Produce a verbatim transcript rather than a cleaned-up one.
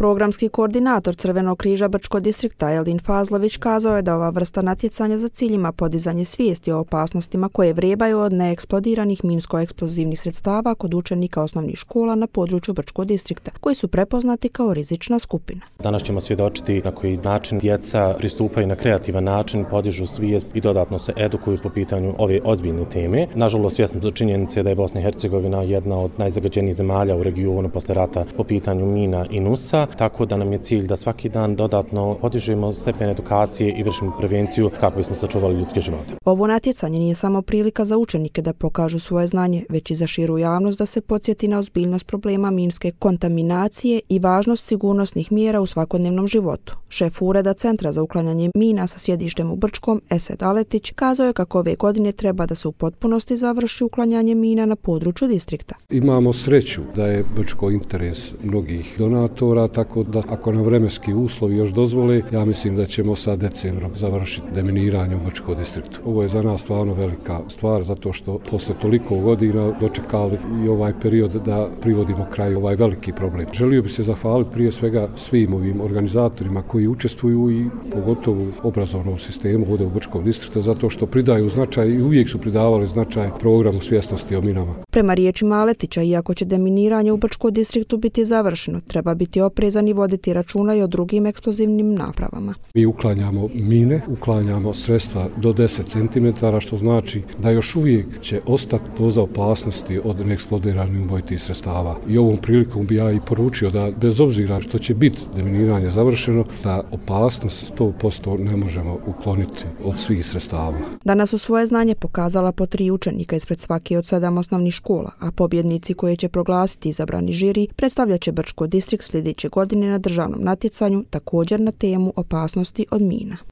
Programski koordinator Crvenog križa Brčkog distrikta Elin Fazlović kazao je da ova vrsta natjecanja za cilj ima podizanje svijesti o opasnostima koje vrebaju od neeksplodiranih minsko-eksplozivnih sredstava kod učenika osnovnih škola na području Brčkog distrikta, koji su prepoznati kao rizična skupina. Danas ćemo svjedočiti na koji način djeca pristupaju na kreativan način, podižu svijest i dodatno se edukuju po pitanju ove ozbiljne teme. Nažalost, svjesni smo činjenice da je Bosna i Hercegovina jedna od najzagađenijih zemalja u regionu posle rata po pitanju mina i nusa, tako da nam je cilj da svaki dan dodatno podižemo stepen edukacije i vršimo prevenciju kako bismo sačuvali ljudske živote. Ovo natjecanje nije samo prilika za učenike da pokažu svoje znanje, već i za širu javnost da se podsjeti na ozbiljnost problema minske kontaminacije i važnost sigurnosnih mjera u svakodnevnom životu. Šef Ureda Centra za uklanjanje mina sa sjedištem u Brčkom, Esed Aletić, kazao je kako ove godine treba da se u potpunosti završi uklanjanje mina na području distrikta. Imamo sreću da je Brčko interes mnogih donatora, tako da ako nam vremenski uslovi još dozvole, ja mislim da ćemo sa decembrom završiti deminiranje u Brčkom distriktu. Ovo je za nas stvarno velika stvar, zato što posle toliko godina dočekali i ovaj period da privodimo kraju ovaj veliki problem. Želio bi se zahvaliti prije svega svim ovim organizatorima koji učestvuju i pogotovo obrazovnom sistemu ovdje u Brčkom distriktu, zato što pridaju značaj i uvijek su pridavali značaj programu svjesnosti o minama. Prema riječima Aletića, iako će deminiranje u Brčkom distriktu biti završeno, treba biti oprezan i voditi računa i o drugim eksplozivnim napravama. Mi uklanjamo mine, uklanjamo sredstva do deset centimetara, što znači da još uvijek će ostati doza opasnosti od neeksplodiranih ubojitih sredstava. I ovom prilikom bi ja i poručio da bez obzira što će biti deminiranje završeno, da opasnost sto posto ne možemo ukloniti od svih sredstava. Danas su svoje znanje pokazala po tri učenika ispred svake od sedam osnovnih škola, a pobjednici koje će proglasiti izabrani žiri predstavljat će Brčko distrikt sljedeće godine na državnom natjecanju, također na temu opasnosti od mina.